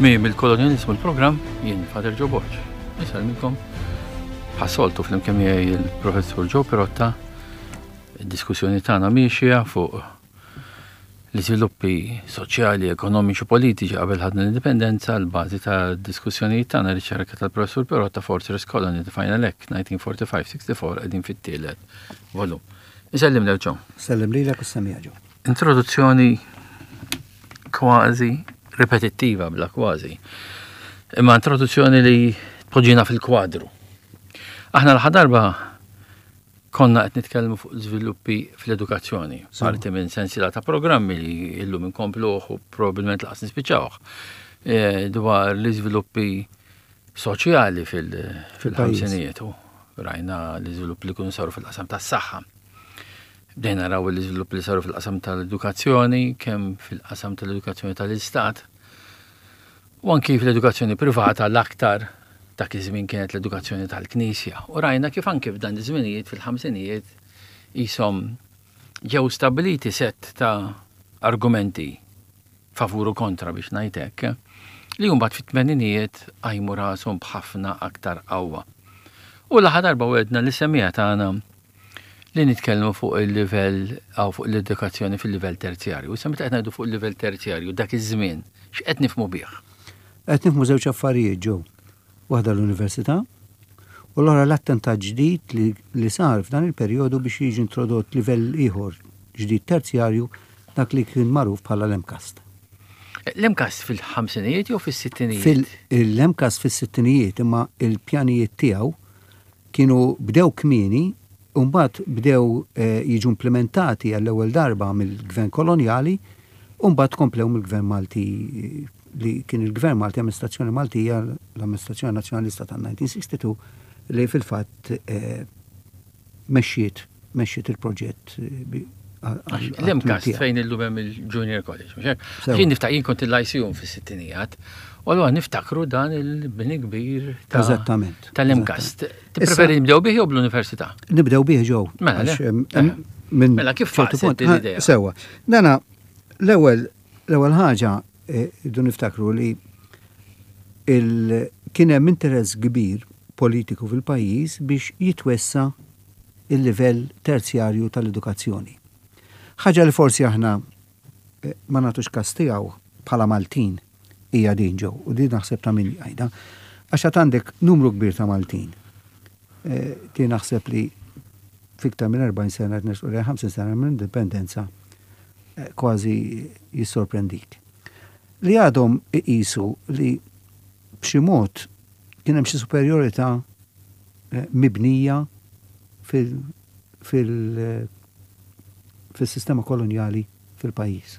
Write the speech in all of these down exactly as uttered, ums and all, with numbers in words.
Tmiem il-kolonjalizmu l-programm, jien Father Joe Borg. Insellmilkom bħas-soltu flimkien miegħi il-Professur Joe Pirotta. Id-diskussjoni tagħna miexja fuq l-iżviluppi soċjali, ekonomiċi u politiċi qabel ħadna l-indipendenza. L-bażi ta' diskussjonijiet tagħna, riċerka tal-Professur Pirotta, Fortress Colony, The Final Act, elf disa' mija u erbgħa u ħamsin sessja u erbgħa, qegħdin fit-tielet volum. Insellimlek, Joe. Sellem lilek u semija, Joe. Introduzzjoni kważi ripetittiva bla kważi. Imma introduzzjoni li tpoġġina fil-kwadru. Aħna l darba konna qed nitkellmu fuq żviluppi fl-edukazzjoni, parti minn sensiela ta' programmi li illum inkompluh u probabbilment lanqas nispiċċawh e, dwar l-iżviluppi soċjali fil-ħamsinijiet. Rajna l-iżviluppi li kienu saru fil-qasam tas-saħħa. Bdejna naraw l-iżviluppi li saru fil-qasam tal-edukazzjoni, kemm fil-qasam tal-edukazzjoni tal-istat, u anki fl-edukazzjoni privata, l-aktar dak iż-żmien kienet l-edukazzjoni tal-Knisja. U rajna kif anki f'dan iż-żminijiet, fil-ħamsinijiet, jisom ġew stabiliti set ta' argumenti favur u kontra, biex ngħidlek, li mbagħad fit-tmeninijiet qajmu rashom b'ħafna aktar qawwa. U l-aħħar darba wegħedna lis-semmiegħa tagħna li nitkellmu fuq il-livell għaw fuq l-edukazzjoni fil-livell terzjarju. Issa meta qed ngħidu fuq il-livell terzjarju dak iż-żmien, x'qed nifhmu bih? Qed nifhmu żewġ affarijiet, Joe. Waħda l-università u l-oħra l-attentat ġdid li, li sar f'dan il-perjodu biex jiġi introdott livell ieħor ġdid terzjarju, dak li kien magħruf bħala l-MCAST. L-MCAST fil-ħamsinijiet jew fis-sittinijiet? Fil-MCAST fis-sittinijiet, imma il-pjanijiet tiegħu kienu bdew kmieni u mbagħad bdew eh, jiġu implementati għall-ewwel darba mill-gvern kolonjali u mbagħad komplew mill-gvern Malti, eh, li kien il-gvern Malti, amministrazzjoni Maltija, l-amministrazzjoni nazzjonalista tal-elf disa' mija u sitta u sittin li fil-fatt eh, mexxiet mexxiet il-proġett L-MCAST fejn illum hemm il-Junior College, mhux hekk? Jien niftakar, jien kont il-Lyceum fis-sittinijiet, u allura niftakru dan il-bini kbir ta' Eżattament. tal-MCAST. Tippreferi nibdew bih jew bl-università? Nibdew bih, Joe. Mela, Għax, le. em, Eh. em, minn Mela, kif ċertu faqset punt, din l-idea? ha, Sewwa. Dana, l-ewwel l-ewwel ħaġa eh, irridu niftakru li il- kien hemm interess kbir politiku fil-pajjiż biex jitwessa il-livell terzjarju tal-edukazzjoni. Ħaġa li forsi aħna eh, ma nagħtux kas tiegħu bħala Maltin hija din, Joe, u din naħseb ta' min jgħidha. Għax għad għandek numru kbir ta' Maltin. Eh, Ti naħseb li fiktar minn erbgħin sena, qed nersqu lejn ħamsin sena minn indipendenza, eh, kważi jissorprendik. Li għadhom iqisu li b'xi mod kien hemm xi superjorità eh, mibnija fil- fil- fil-sistema kolonjali fil-pajjiż.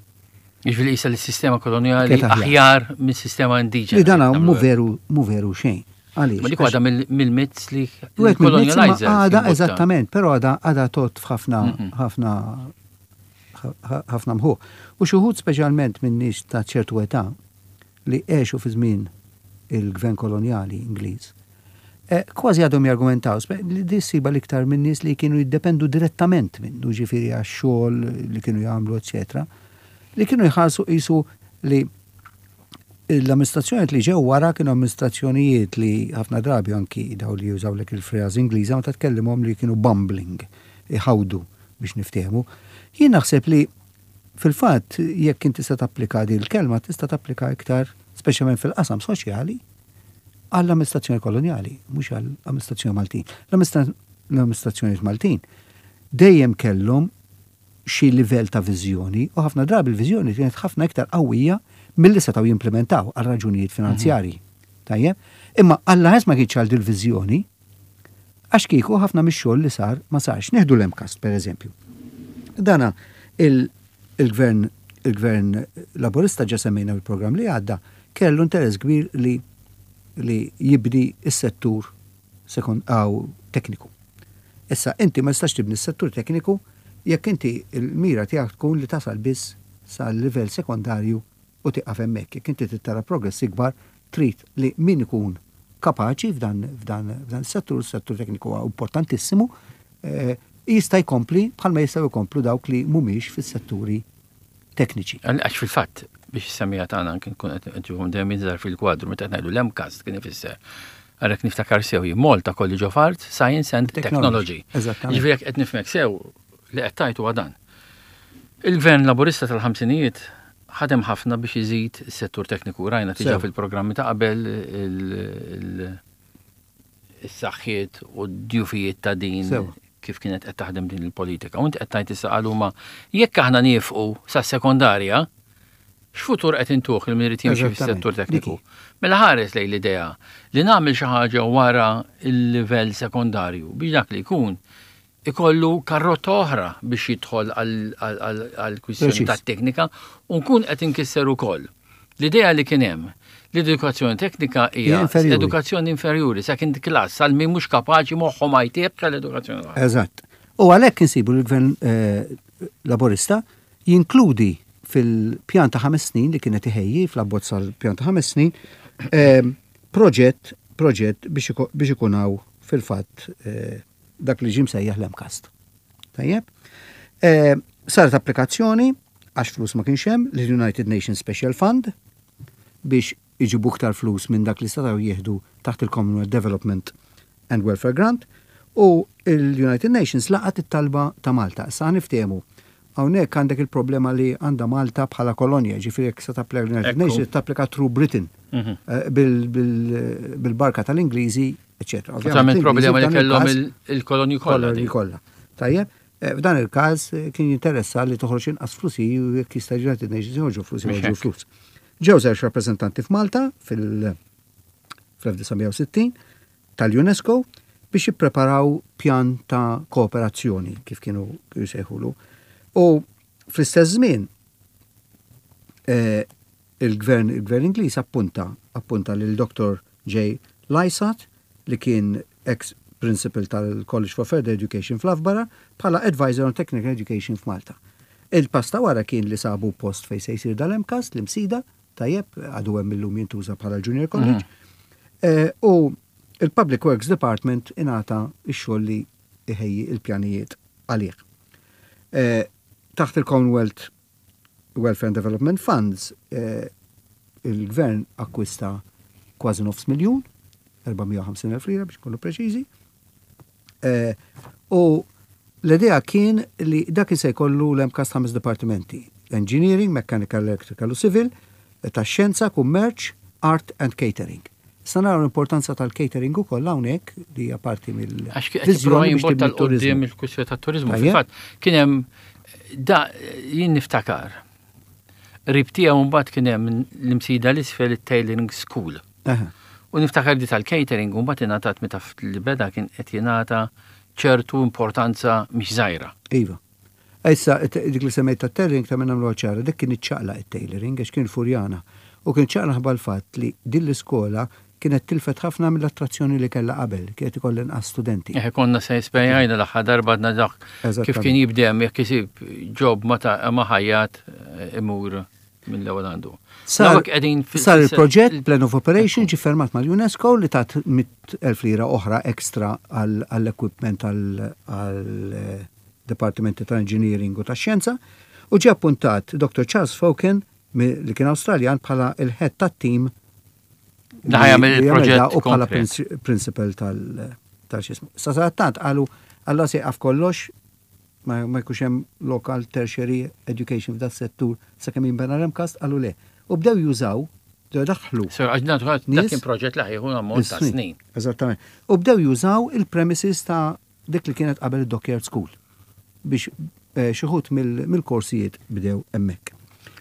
Jiġifieri qisha li s-sistema kolonjali Kienet aħjar. aħjar minn sistema indiġena. Li dana mu veru mu veru xejn. Għaliex? Ma dik waħda mill-myths li Wieħed mill-myths, imma colonializers għada imbotta. Eżattament, però għada għada tot f'ħafna Mhm. ħafna ħafna mħuħ. U xi wħud, speċjalment minn nies ta' ċertu età li għexu fi żmien il-gvern kolonjali Ingliż, eh, kważi għadhom jargumentaw, spe- li di ssiba l-iktar minn nies li kienu jiddependu direttament minnu, ġifieri għax-xogħol li kienu jagħmlu, eċetera, li kienu jħarsu qisu li l-amministrazzjoni li ġew wara kienu amministrazzjonijiet li ħafna drabi anki daw li jużaw lek il-fraż Ingliża meta tkellimhom li kienu bumbling, iħawdu biex niftehmu. Jien naħseb li fil-fatt jekk inti tista' tapplika din il-kelma, tista' tapplika iktar, speċjalment fil-qasam soċjali, għall-amministrazzjoni kolonjali, mhux għall-amministrazzjoni Maltin. L-amministrazzjoni Maltin dejjem kellhom xi livell ta' viżjoni u ħafna drabi l-viżjoni kienet ħafna iktar qawwija milli setgħu jimplementaw għal raġunijiet finanzjarji. Tajjeb? Imma Alla ħes ma kienx għal dil-viżjoni, għax kieku ħafna mix-xogħol li sar ma sarx. Nieħdu l-MCAST, per eżempju. Dana il-gvern il-gvern Laburista, ġa semmejna il-programm li għadda, kellu interess kbir li li jibni is-settur sekond għaw tekniku. Issa, inti ma tistax tibni s-settur tekniku jekk inti il-mira tiegħek tkun li tasal biss sal-livell sekondarju u tieqaf hemmhekk. Jekk inti trid progress ikbar, trid li min ikun kapaċi f'dan f'dan f'dan is-settur, is-settur tekniku huwa importantissimu, eh, jista' jkompli bħalma jistgħu jkomplu dawk li mhumiex fis-setturi tekniċi. Għax fil-fatt, Biex semija tagħna kien kun qed nġibhom dejjem jinżar fil-kwadru meta qed ngħidu l-MCAST kien ifisser. Għarek niftakar sew hi Malta College of Arts, Science and Technology. Eżattament. Ġifieri jekk qed nifhmek sew li qed tajtu għadan. Il-Gvern Laburista tal-ħamsinijiet ħadem ħafna biex iżid is-settur tekniku. Rajna diġà Sew. fil-programmi ta' qabel il- il- is-saħħiet u d-djufijiet ta' din Sew. kif kienet qed taħdem din il-politika. U inti qed tgħid issa qaluma jekk aħna niefqu sas-sekondarja, x'futur qed intuh il min irid jimxi Eżattament. fis-settur tekniku? Dik hi. Mela ħares lejn l-idea li nagħmel xi ħaġa wara il-livell sekondarju biex dak li jkun ikollu karrotta oħra biex jidħol għal kwistjoni Preċiż. ta' teknika u nkun qed inkisser ukoll. L-idea li kien hemm l-edukazzjoni teknika hija Hija inferjuri. edukazzjoni inferjuri, second class, għal min mhux kapaċi moħħu ma jtieb tal-edukazzjoni l-oħra. Eżatt. U għalhekk insibu l-gvern eh, laborista jinkludi fil-pjan ta' ħames snin li kienet iħejji fl-abbozz tal-pjan ta' ħames snin eh, proġett proġett biex iko- biex ikun hawn fil-fatt eh, dak li ġie msejjaħ l-MCAST. Tajjeb. Eh, Saret applikazzjoni għax flus ma kienx hemm l-United Nations Special Fund biex iġibu iktar flus minn dak li setgħu jieħdu taħt il-Commonwealth Development and Welfare Grant u il-United Nations laqat it-talba ta' Malta. Issa niftehmu. Hawnhekk għandek il-problema li għandha Malta bħala kolonja, ġifieri jekk se tapplika l-United Ekku. Nations tapplika through Britain Mhm. eh, bil- bil- bil-barka tal-Ingliżi, eċetera. Ovvjament problema li f'dan kellhom il-każ- il- il-kolonji kollha. kolonji din. kollha. Tajjeb, eh, f'dan il-każ eh, kien jinteressa li toħroġ inqas flusi u jekk jista' United Nations joħorġu flus Mhux joħorġu hekk. flus. Ġew żewġ rappreżentanti f'Malta fil- fl-elf disa' mija u sittin tal-UNESCO biex jippreparaw pjan ta' kooperazzjoni kif kienu jsejħulu. U fl-istess żmien eh, il-gvern il-gvern Ingliż appunta appunta lil Doctor J. Lysat li kien ex principal tal-College for Further Education fl-Loughborough bħala advisor on Technical Education f'Malta. Il-pass ta' wara kien li sabu post fej se jsir dal-MCAST, l-Imsida, tajjeb, għadu hemm illum jintuża bħala Junior College. Eh, U il-Public Works Department ingħata x-xogħol li iħejji il-pjanijiet għalih. Eh, Taħt il-Commonwealth Welfare and Development Funds, eh, il-gvern akkwista kważi nofs miljun, erba' mija u ħamsin elf lira biex nkunu preċiżi. Eh, U l-idea kien li dak se jkollu l-MCAST ħames dipartimenti. Engineering, Mechanical, Electrical u Civil, ta' xjenza, kummerċ, Art and Catering. Issa naraw l-importanza tal-catering ukoll hawnhekk li hija parti mill Għax qed jipprova jimbotta 'l quddiem il-kwistjoni tat-turizmu. Tajjeb. Fil-fatt kien hemm da jien niftakar. Qrib tiegħu mbagħad kien hemm l-Imsida l-isfel it-Tailoring School. Aha. U niftakar di tal-catering u mbagħad ingħatat meta li beda kien qed jingħata ċertu importanza mhix żgħira. Iva. Issa, dik li semmejt ta' tailoring ta' minna ċara, dik kien iċċaqla it-tailoring, għax kien Furjana. U kien ċaqla ħabba l-fatt li din l-iskola kienet tilfet ħafna mill-attrazzjoni li kellha qabel, kienet ikollha inqas studenti. Eħe konna se spjegajna l-aħħar darba għadna dak kif Eżattament. kien jibdem jekk isib job ma ta' ma ħajjat eh, imur mill-ewwel għandu. Sar, Dawk qegħdin fil- sar il-proġett Plan of Operation ġi fermat mal-UNESCO li tat mitt elf lira oħra ekstra għall-equipment għall-Departimenti ta' Engineering u ta' Xjenza u ġi appuntat Doctor Charles Foken mi- li kien Awstraljan bħala il-head tat-team Li ħa jagħmel li jagħmel il-proġett da u bħala konkret. princi- principal tal- tal-xismu. Sa tant qalu alla se jaqaf kollox ma ma jkunx hemm local tertiary education f'dat settur sakemm jinbena l-MCAST, qalu le. U bdew jużaw, bdew daħlu. Sir, għax dak dak Nies- kien proġett li ħa jieħu ammont ta' snin. Eżattament. U bdew jużaw il-premises ta' dik li kienet qabel il-Dockyard School biex eh, xi wħud mill- mill-korsijiet bdew hemmhekk.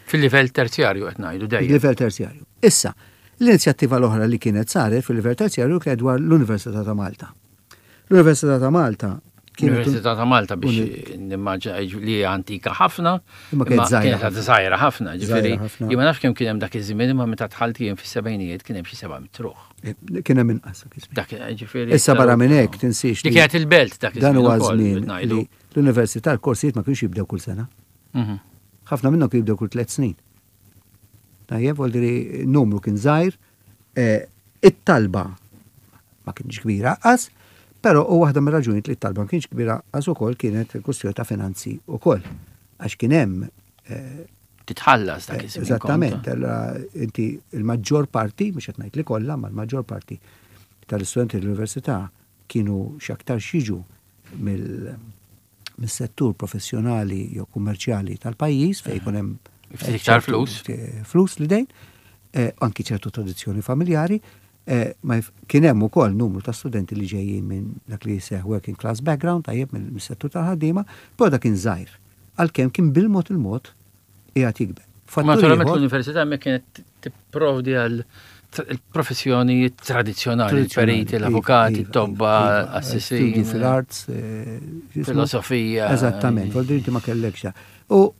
Fil-livell terzjarju qed ngħidu dejjem. Il-livell terzjarju. Issa, l-inizjattiva l-oħra li kienet saret fil-livell terzjarju kienet dwar l-Università ta' Malta. L-Università ta' Malta kienet L-Università ta' Malta biex nimmaġina li hija antika ħafna, Imma kienet żgħira kienet żgħira ħafna, ġifieri Żgħira ħafna. jien ma nafx kemm kien hemm dak iż-żmien imma meta dħalt jien fis-sebgħinijiet kien hemm xi seba' mitt ruħ. Eh, Kien hemm inqas dak iż-żmien. Dak ġifieri. Issa barra minn hekk tinsiex Li kienet il-belt dak dan iż-żmien huwa ukoll, żmien ngħidu. li l-università l-korsijiet ma kienx jibdew kull sena. Mhm. Ħafna minnhom kienu jibdew kull tliet snin. Tajjeb, vuol numru kien żgħir, eh, it-talba ma kienx kbira qas, però u waħda mir-raġunijiet li t-talba ma kienx kbira qas ukoll kienet il-kwestjoni ta' finanzi ukoll. Għax kien hemm eh, Titħallas dak iż-żmien. Eżattament, allora inti il-maġġor parti, mhux qed ngħid li kollha, ma l-maġġor parti tal-istudenti l-università kienu x'aktar jiġu mill-settur professjonali jew kummerċjali tal-pajjiż fejn jkun hemm Ftit iktar flus. Flus li dejn, eh, anki ċertu tradizzjoni familjari, eh, ma jf- kien hemm ukoll numru ta' studenti li ġejjin minn dak li jseħ working class background, tajjeb, mill-settur tal-ħaddiema, però dak kien żgħir. Għalkemm kien bil-mod il-mod qiegħed jikber. Fattur Naturalment ieħor- l-università hemmhekk kienet tipprovdi għal il-professjoni tradizzjonali, il-periti, iva, l-avukati, iva, it-tobba, iva, assessin, studi fil-arts, eh, x'ismu? filosofija. Eżattament, vuol dire inti ma kellekx. U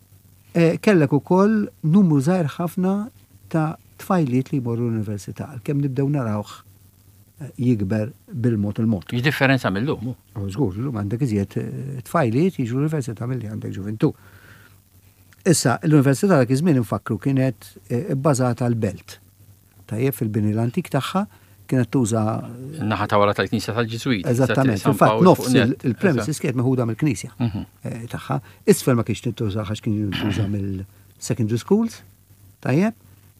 eh, kellek ukoll numru żgħir ħafna ta' tfajliet li jmorru l-università, għalkemm nibdew narawh eh, jikber bil-mod il-mod. Differenza mill-lum. U żgur, llum għandek iżjed eh, tfajliet jiġu l-università milli għandek ġuvintu. Issa, l-università dak iż-żmien, infakru, kienet eh, bbażata l-Belt. Tajjeb, fil-bini l-antik tagħha kienet tuża Naħa ta' wara tal-Knisja tal-Ġiżwiti. Eżattament, San fil-fatt Pawl nofs fuq net. il-premises kienet meħuda mill-Knisja Mhm. eh, tagħha. Isfel ma kienx tintuża għax kien jintuża mill-secondary schools, tajjeb,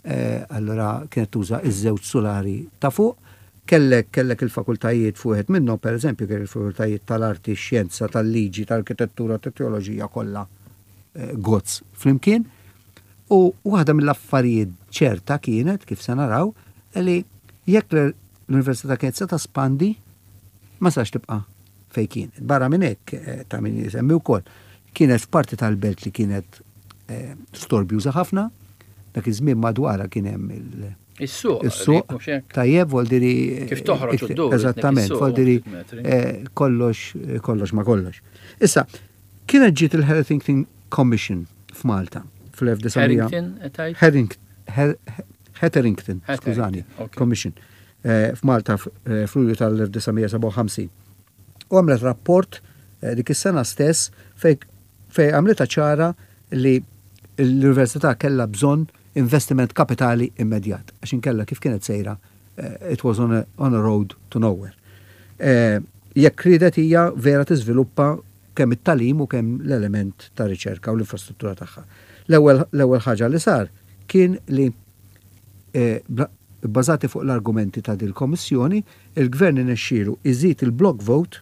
eh, allora kienet tuża iż-żewġ sulari ta' fuq. Kellek kellek il-fakultajiet fuq wieħed minnhom, pereżempju, kellek il-fakultajiet tal-arti, xjenza, tal-liġi, tal-arkitettura, tat-teoloġija kollha eh, gozz flimkien. U waħda mill-affarijiet ċerta kienet, kif se naraw, li jekk l-università kienet se tespandi, ma sax tibqa' fej kienet. Barra minn hekk, eh, ta' min jisemmi wkoll, kienet f'parti tal-belt li kienet eh, storbjuża ħafna, dak iż-żmien madwarha kien hemm il- Is-suq. is-suq, mhux hekk? Tajjeb, vuol dire Kif toħroġ u ddur, Eżattament, is-suq, vuol dire ftit metri. eh, kollox kollox ma kollox. Issa, kienet ġiet il-Harrington Commission f'Malta fl-elf disa' mija Harrington, qed tgħid? Herring- Her- Hetherington, Hetherington, skużani, ok. Commission, eh, f'Malta f- eh, f'Lulju tal-elf disa' mija sebgħa u ħamsin. U għamlet rapport eh, dik is-sena stess fej fej għamlitha ċara li l-università kellha bżonn investiment kapitali immedjat, għax inkella kif kienet sejra, eh, it was on a, on a road to nowhere. Eh, Jekk ridet hija vera tiżviluppa kemm it-tagħlim u kemm l-element ta' riċerka u l-infrastruttura tagħha. L-ewwel l-ewwel ħaġa li sar kien li eh, bla- bbażati fuq l-argumenti ta' dil-Kommissjoni, il-Gvern inexxielu iżid il-block vote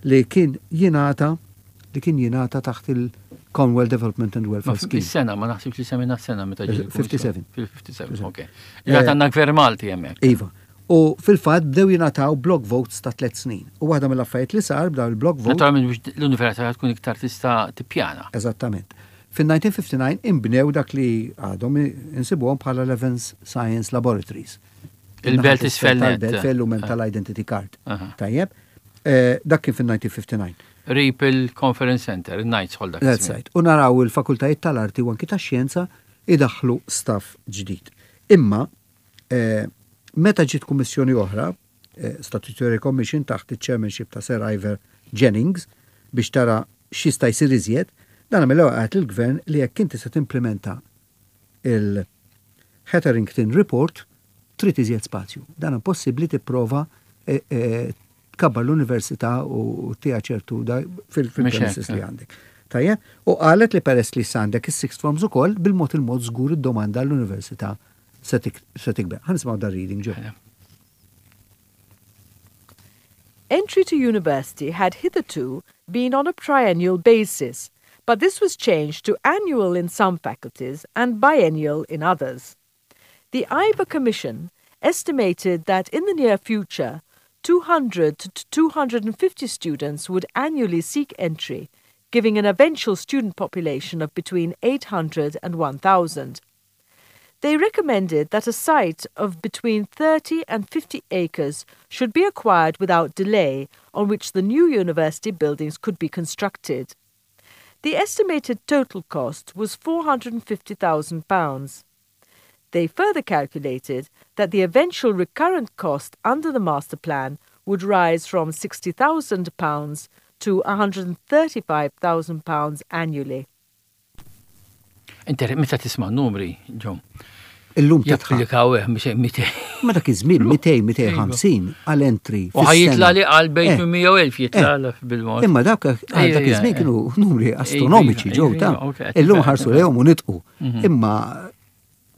li kien jingħata li kien jingħata taħt il-Commonwealth Development and Ma Welfare Scheme. Is-sena, ma naħsibx li semmejna s-sena meta ġiet il-Kummissjoni. fifty-seven. Fil-fifty-seven, ok. Ġat għandna gvern Malti hemmhekk. Iva. U fil-fatt bdew jingħataw block votes ta' tliet snin. U waħda mill-affarijiet li sar bdew il-block vote. Naturalment biex l-università tkun iktar tista' tippjana. Eżattament. Fil-elf disa' mija ħamsa u ħamsin imbnew dak li għadhom insibuhom bħala Levens Science Laboratories. Il-Belt isfel net. Tal-belt fejn illum hemm tal-Identity Card. Aha. Tajjeb. Eh, Dak kien fil-elf disa' mija ħamsa u ħamsin. Qrib il-Conference Center, il-Knights Hall dak That's iż-żmien. right. U naraw il-fakultajiet tal-arti u anki tax-xjenza idaħlu staff ġdid. Imma eh, meta ġiet kummissjoni oħra, eh, Statutory Commission taħt il-chairmanship ta' Sir Ivor Jennings, biex tara x'jista' jsir iżjed, dan mill-ewwel qalt il-gvern li jekk inti se timplementa il-Hetherington Report trid iżjed spazju. Dan impossibbli tipprova eh, eh, tkabbar l-università u tija ċertu da fil-premises li għandek. Tajjeb, u qalet li peress li għandek is-sixth forms ukoll, bil-mod il-mod żgur id-domanda l-università se tikber. Ħa nisimgħu dar reading ġo. Entry to university had hitherto been on a triennial basis, but this was changed to annual in some faculties and biennial in others. The Ivor Commission estimated that in the near future, two hundred to two hundred fifty students would annually seek entry, giving an eventual student population of between eight hundred and one thousand. They recommended that a site of between thirty and fifty acres should be acquired without delay on which the new university buildings could be constructed. The estimated total cost was four hundred fifty thousand pounds. They further calculated that the eventual recurrent cost under the master plan would rise from sixty thousand pounds to one hundred thirty-five thousand pounds annually. Inti meta tisma' numri, ġom, Illum tidħaq. Japplikaw eh, mitejn. Ma dak iż-żmien mitejn, mitejn u ħamsin għal entry. U ħa jitla' li għal bejt Eh, minn mija elf jitla' eh. bil-mod. Imma dak għal dak iż-żmien Ejja, kienu numri astronomiċi Ejja, ġew ejja, ta' ok, qed illum nifhem, ħarsu nifhem. lejhom u nidħku. Imma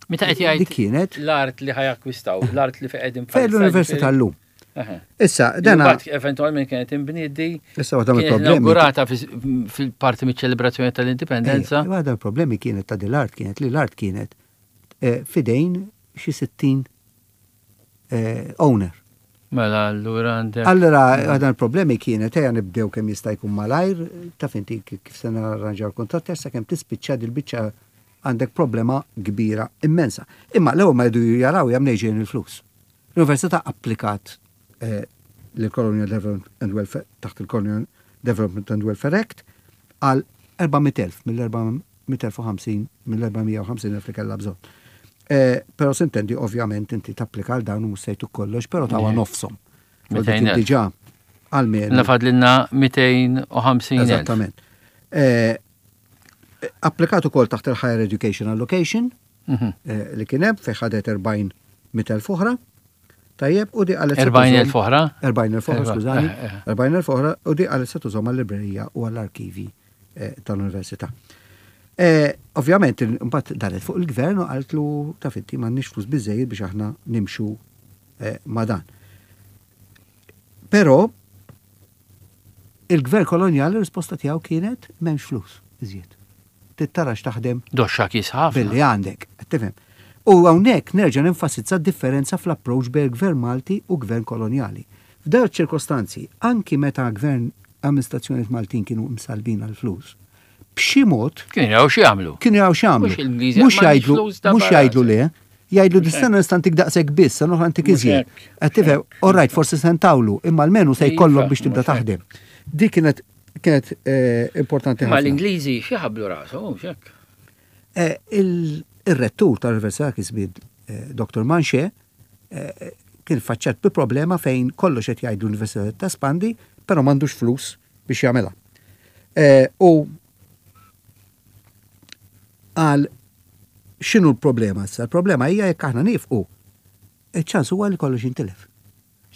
Meta qed jgħid dik kienet l-art li ħa jakkwistaw, l-art li fejn qegħdin fejn l-università llum. Issa, Dana. dana Eventualment kienet inbniet di. Issa waħda Kienet mill-problemi. inaugurata fil-parti miċ-ċelebrazzjoni tal-indipendenza. Ejja, waħda mill-problemi kienet ta' din l-art kienet li l-art kienet eh, fidejn xi sittin eh, owner. Mela allura għandek. Allora, għadan il-problemi kienet, ejja nibdew kemm jista' jkun malajr, taf inti kif se narranġaw l-kontratti, issa kemm tispiċċa dil-biċċa għandek problema kbira immensa. Imma l-ewwel ma jdu jaraw jam ġejjin il-flus. L-Università applikat eh, l-Colonial Development and Welfare, taħt il-Colonial Development and Welfare Act, għal erba' mitt elf mill-erba' mitt elf u ħamsin mill-erba' mija u ħamsin elf li kellha bżonn. Eh, Però s'intendi, ovvjament, inti tapplika għal dawn u mhux sejtu kollox, però tawa nofshom. mitejn elf. Diġà almenu. Nafadlilna mitejn u ħamsin elf. Eżattament. Eh, Applikat ukoll taħt il-Higher Education Allocation Mhm. eh, li kien hemm fejn ħadet erbgħin mitt elf oħra. Tajjeb, u di qalet se erbgħin elf tużhom- oħra? erbgħin elf oħra, Erba- skużani. eh, eh. erbgħin elf oħra u di qalet se tużhom għall-librerija u għall-arkivi eh, tal-università. Eh, Ovvjament, mbagħad daret fuq il-gvern u qaltlu, taf inti, m'għandniex flus biżejjed biex aħna nimxu eh, ma' dan. Però il-gvern kolonjali risposta tiegħu kienet m'hemmx flus iżjed. Tittarax taħdem Doxxa kis ħafna. billi għandek, qed tifhem. U hawnhekk nerġa' nenfasizza differenza fl-approach bejn gvern Malti u gvern kolonjali. F'dawn ċirkostanzi, anki meta gvern amministrazzjonijiet Maltin kienu msalbin għal flus, b'xi mod Kienu jaraw xi jagħmlu. Kienu jaraw x'jagħmlu. Mhux il-Ingliżi, Mhux m'għandix jgħidlu, flus da mhux barra. jgħidlu le, jgħidlu dis-sena nista' ntik daqshekk biss, sena oħra ntik Mhux iżjed. hekk. Qed tifhem, all right, forsi se ntawlu, imma almenu se jkollok Iva, biex tibda mhux hekk. taħdem. Dik kienet kienet eh, importanti Ma ħafna. l-Ingliżi xi ħablu rashom, mhux hekk. Eh, il- Il-rettur tal-Università kisbid Doktor Manche eh, kien faċċat bi problema fejn kollox qed jgħidu l-Università tespandi, però m'għandux flus biex jagħmilha. Eh, U għal x'inhu l-problema issa? Il-problema hija jekk aħna nifqu, iċ-ċans huwa li kollox jintilef.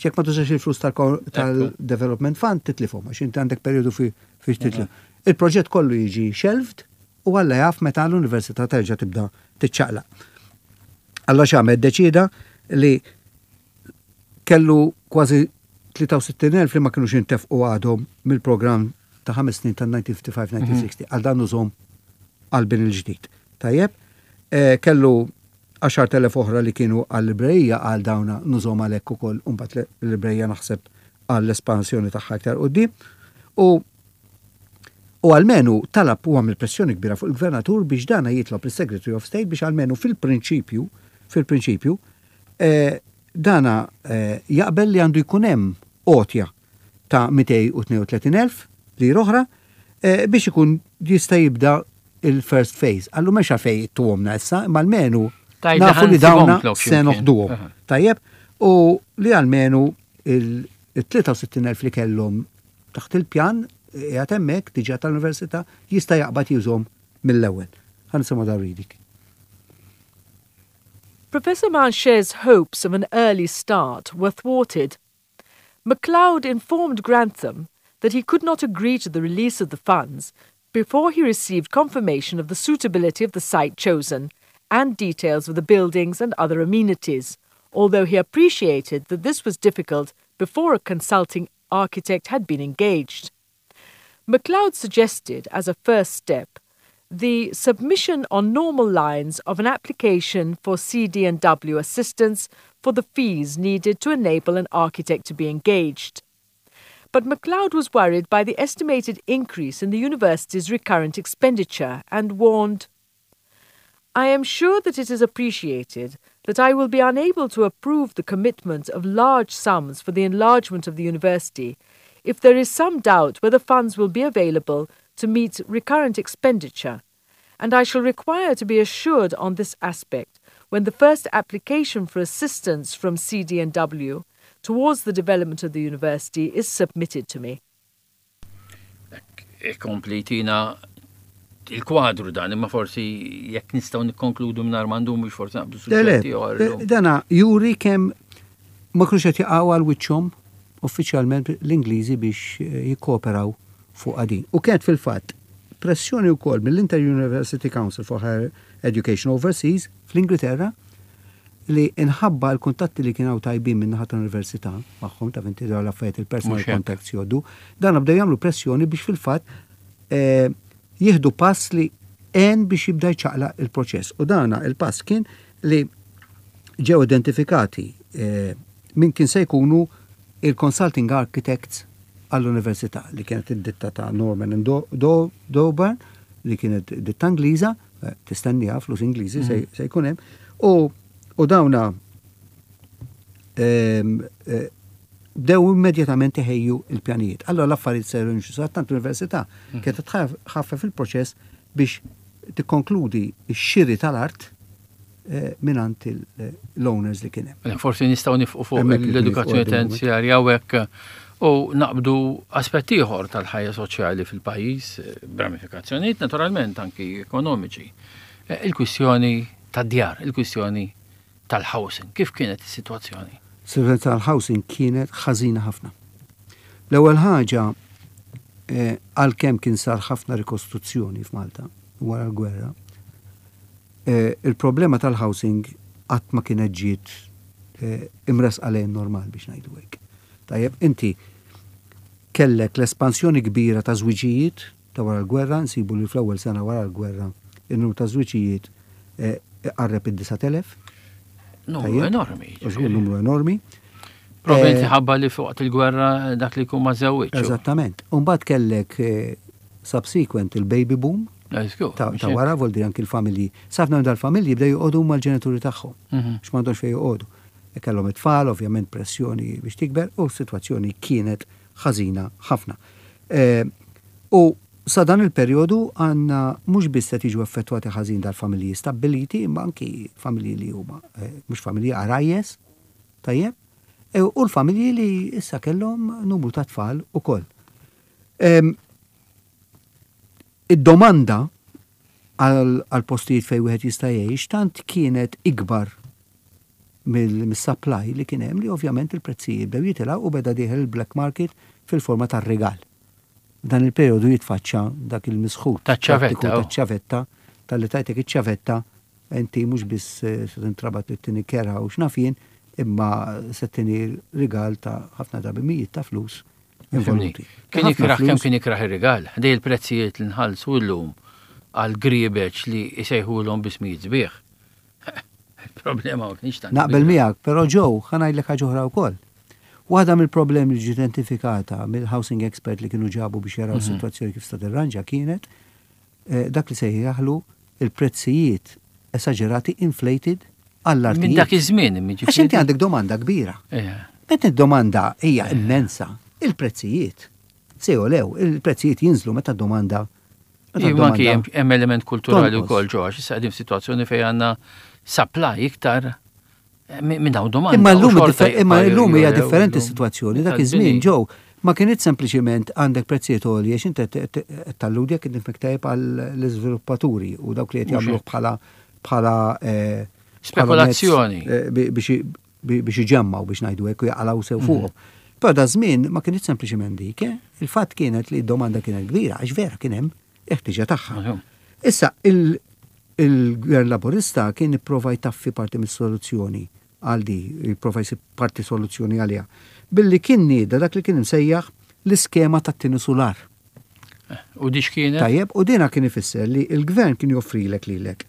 Jekk ma tużax il-flus tal-Development Fund titlifhom, għax inti għandek periodu fi fi titlif. Il-proġett kollu jiġi shelved u Alla jaf meta l-università terġa' tibda tiċċaqlaq. Alla x'għamel, deċida li kellu kważi tlieta u sittin elf li ma kienux intefqu għadhom mill-programm ta' ħames snin ta' elf disa' mija ħamsa u ħamsin-elf disa' mija u sittaw għal dan użhom għal bini l-ġdid. Tajjeb, eh, kellu għaxart elef oħra li kienu għal-librerija, għal dawna nużhom għalhekk ukoll, u mbagħad l-librerija naħseb għall-espansjoni tagħha iktar quddiem. U U almenu talab u għamil pressjoni kbira fuq il-gvernatur biex dana jitlob il-Secretary of State biex almenu fil-prinċipju, fil-prinċipju, eh, dana eh, jaqbel li għandu jkun hemm għotja ta' mitejn u tnejn u tletin elf li oħra eh, biex ikun jista' jibda il-first phase. Għallu mexa fej tuhomna issa, imma almenu Tajda nafu li dawna ħansibhom se x'imkien. noħduhom. Aha. Tajjeb, u li almenu il-tlieta u sittin elf li kellhom taħt il-pjan qiegħed hemmhekk diġà tal-università jista' jaqbad jużhom mill-ewwel. Ħa nisimgħu dar reading. Professor Mancher's hopes of an early start were thwarted. MacLeod informed Grantham that he could not agree to the release of the funds before he received confirmation of the suitability of the site chosen and details of the buildings and other amenities, although he appreciated that this was difficult before a consulting architect had been engaged. MacLeod suggested, as a first step, the submission on normal lines of an application for C D and W assistance for the fees needed to enable an architect to be engaged. But MacLeod was worried by the estimated increase in the university's recurrent expenditure and warned, "I am sure that it is appreciated that I will be unable to approve the commitment of large sums for the enlargement of the university if there is some doubt whether funds will be available to meet recurrent expenditure, and I shall require to be assured on this aspect when the first application for assistance from C D and W towards the development of the university is submitted to me." Ikompli tina il-kwadru dan, imma forsi jekk nistgħu nikkonkludu mingħajr ma ndumu biex forsi naqbdu suġġetti oħra. Dana juri kemm ma kinux qed jaqgħu għal wiċċhom uffiċjalment l-Ingliżi biex eh, jikkooperaw fuq din. U kienet fil-fatt pressjoni wkoll mill-Inter-University Council for Higher Education Overseas fl-Ingilterra li inħabba l-kuntatti li kienu tajbin minn naħa tal-università magħhom ta' vinti l-affarijiet il-personal Mhux hekk. contacts jgħoddu, dan bdew jagħmlu pressjoni biex fil-fatt eh, jieħdu pass li għen biex jibda jċaqlaq il-proċess. U dana il-pass kien li ġew identifikati eh, min kien se jkunu il-consulting architects għall-università li kienet id-ditta ta' Norman and Do- Do- Dowburn li kienet ditta Ingliża, eh, tistenniha flus Ingliżi se se jkun hemm, u u dawna ehm, eh, bdew immedjatament iħejju il-pjanijiet. Allora l-affarijiet seru jimxu tant l-università kienet tħaffef il-proċess biex tikkonkludi x-xiri tal-art eh, mingħand l-owners li kien hemm. Mela, forsi nistgħu nieqfu fuq Hemmhekk li l-edukazzjoni nieqfu għad terzjarja u hekk u naqbdu aspetti ieħor tal-ħajja soċjali fil-pajjiż, eh, b'ramifikazzjonijiet naturalment anki ekonomiċi. Eh, Il-kwistjoni tad-djar, il-kwistjoni tal-housing, kif kienet is-sitwazzjoni? Situazzjoni tal-housing kienet ħażina ħafna. L-ewwel ħaġa eh, għalkemm kien sar ħafna rikostruzzjoni f'Malta wara l-gwerra, eh, il-problema tal-housing qatt ma kienet ġiet eh, imresqa lejn normal biex ngħidu hekk. Tajjeb, inti kellek l-espansjoni kbira ta' żwiġijiet ta' wara l-gwerra, nsibu li fl-ewwel sena wara l-gwerra il-numru ta' żwiġijiet eh, qarreb id-disa' elef. Numru Tajjeb. enormi. Żgur numru enormi. Probabilment Eh, ħabba li fuq il-gwerra dak li jkun ma żewwiġ. Eżattament. Umbagħad kellek eh, subsequent il-baby boom Żgur, ta' mhux ta' hekk? wara vol dir anki l-familji. Ħafna minn dal-familji bdew joqogħdu mal-ġenituri tagħhom. Mhm. X'm'għandhomx fejn joqogħdu. E kellhom it-tfal, ovvjament pressjoni biex tikber, u s-sitwazzjoni kienet ħażina ħafna. Eh, U sa dan il-perjodu għandna mhux biss qed jiġu effettwati ħażin dal-familji stabbiliti, imma anki familji li huma eh, mhux familji għarajjes, tajjeb, e, u l-familji li issa kellhom numru ta' tfal ukoll. Em, Id-domanda għal għal postijiet fejn wieħed jista' jgħix tant kienet ikbar mill-supply li kien hemm li ovvjament il-prezzijiet bdew jitilgħu u beda dieħel il-black market fil-forma tar-rigal. Dan il-perjodu jitfaċċa dak il-misħut. Taċ-ċavetta, prattiku oh. Taċ-ċavetta, talli tajtek iċ-ċavetta, inti mhux biss eh, se tintrabat li ttini kera u x'naf jien, imma se ttini rigal ta' ħafna drabi mijiet ta' flus involuti. Kien Ħafna ikraħ kemm flus. kien ikraħ ir-rigal. Dej il-prezzijiet li nħallsu llum għal griebeċ li jsejħulhom bismijiet sbieħ. Il-problema ma kienx tant. Naqbel kbira. miegħek, però ġew ħa ngħidlek ħaġa oħra wkoll. Waħda mill-problemi li ġiet identifikata mill-housing expert li kienu ġabu biex jaraw Mhm. is-sitwazzjoni kif sta tirranġa kienet eh, dak li sejjaħlu il-prezzijiet esagerati inflated għall-artijiet. Minn dak iż-żmien Għax inti għandek domanda kbira. Meta id-domanda hija immensa, il-prezzijiet se jolew, il-prezzijiet jinżlu meta d-domanda meta Iva, anki d-domanda hemm hemm element kulturali tonqos. wkoll ġo, għax issa qegħdin f'sitwazzjoni fejn għandna supply iktar eh, minn minn hawn domanda. Imma u llum xorta differ- imma jibqa' llum hija jolew differenti illum. s-sitwazzjoni. Dak Tal-bini. iż-żmien ġew ma kienet sempliċiment għandek prezzijiet għolja għax inti talludi jekk nifhmek tajjeb għall-iżviluppaturi u dawk li qed Mhux jagħmluh hekk. bħala bħala eh, bħala mezz, Spekulazzjoni. eh, bi- biex biex iġemmaw biex ngħidu hekk u jaqalgħu sew Mhm. fuqhom. Però da żmien ma kienet sempliċiment dik, eh? Il-fatt kienet li d-domanda kienet kbira għax vera kien hemm il-ħtiġa tagħha. Mhux. Issa, il- il-gvern laburista kien ipprova jtaffi parti mis-soluzzjoni għal di, jipprova jsib parti soluzzjoni għaliha. Billi kien nieda dak li kien imsejjaħ l-iskema tat-tieni sular. U di x'kienet? Tajjeb, u dina kien ifisser li il-gvern kien joffrilek lilek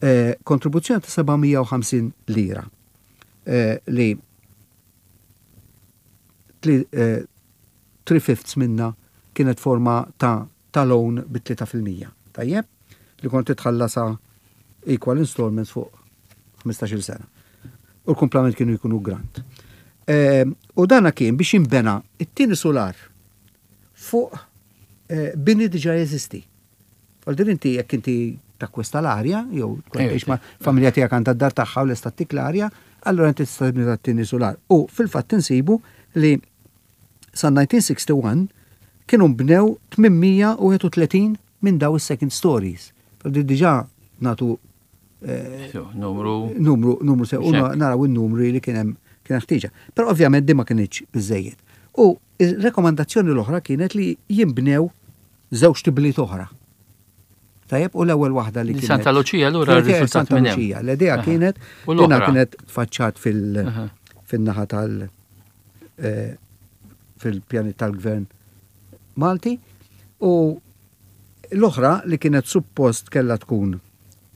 eh, kontribuzzjoni ta' seba' mija u ħamsin lira eh, li tli- eh, three fifths minna kienet forma ta' ta' loan bi tlieta fil-mija. Tajjeb, li kont titħallasa equal installments fuq ħmistax-il sena. U l-kumplament kienu jkunu grant. Eh, u dana kien biex jimbena it-tieni solar fuq eh, bini diġa jeżisti. Għal inti jekk inti takkwista l-arja, jew tkun Ejja, tgħix ma' familja tiegħek għandha d-dar tagħha u lesta ttik l-arja, allura inti tista' tibni tat-tieni solar. U fil-fatt insibu li sa elf disa' mija u wieħed u sittin kienu bnew tmien mija u wieħed u tletin minn daw is-second stories. Però diġà nagħtu eh, numru numru numru sew naraw in-numri li kien hemm kien ħtieġa. Però ovvjament din ma kinitx biżejjed. U ir-rekomandazzjoni l-oħra kienet li jinbnew żewġ tibliet oħra. Tajjeb, u l-ewwel waħda li kienet. Santa Lucia allura rriżultat Santa Lucia. L-idea kienet dina kienet tfaċċat fil-naħa tal- eh, fil-pjani tal-gvern Malti u l-oħra li kienet suppost kella tkun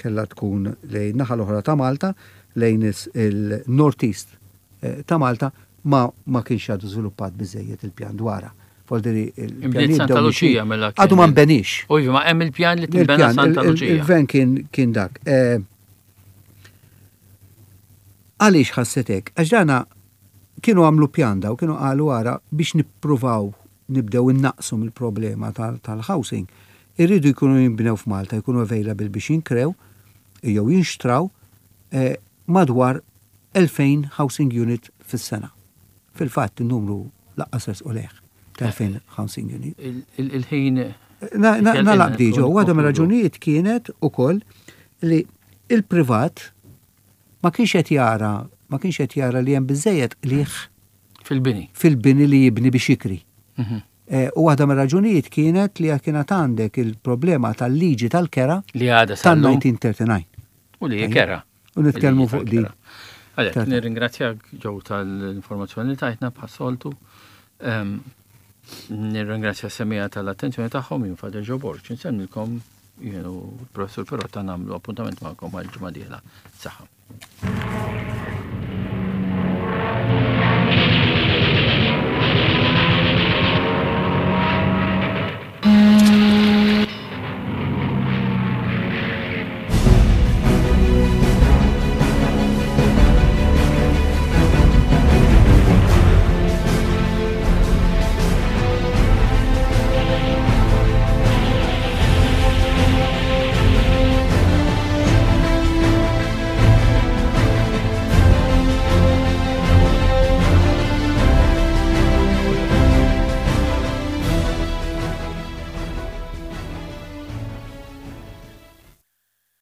kella tkun lejn naħa l-oħra ta' Malta, lejn il-North East eh, ta' Malta, ma, ma kienx għadu żviluppat biżejjed il-pjan dwarha. Voldiri il-pjan Santa Lucia mela. Għadu ma nbenix. U ma hemm il-pjan li tinbena Santa Lucia. Il-gvern kien kien dak. Eh, għaliex ħassetek? Għax dana kienu għamlu pjan daw, kienu qalu għara biex nippruvaw nibdew innaqsu mill-problema tal-housing. Irridu jkunu jinbnew f'Malta, jkunu available biex jinkrew, jew jinxtraw eh, madwar elfejn housing unit fis-sena. Fil-fatt il-numru lanqas u leħ ta' elfejn housing unit. Il-ħin. Nalaq diġo, waħda mir-raġunijiet kienet ukoll li il-privat ma kienx qed jara ma kienx qed jara li hemm biżejjed qligħ fil-bini. Fil-bini li jibni biex jikri. Mhm. Eh, u waħda mir-raġunijiet kienet li kienet għandek il-problema tal-liġi tal-kera li għadha tal-elf disa' mija u disgħa u tletin. U li kera. U nitkellmu fuq di. Għalek, nirringrazzjak, Joe, tal-informazzjoni li tajtna bħas-soltu. Nirringrazzja s-semmiegħa tal-attenzjoni tagħhom. Jien Father Joe Borg. Insellmilkom jien u Professor Perotta, nagħmlu appuntament magħkom għal ġimgħa dieħla. Saħħa.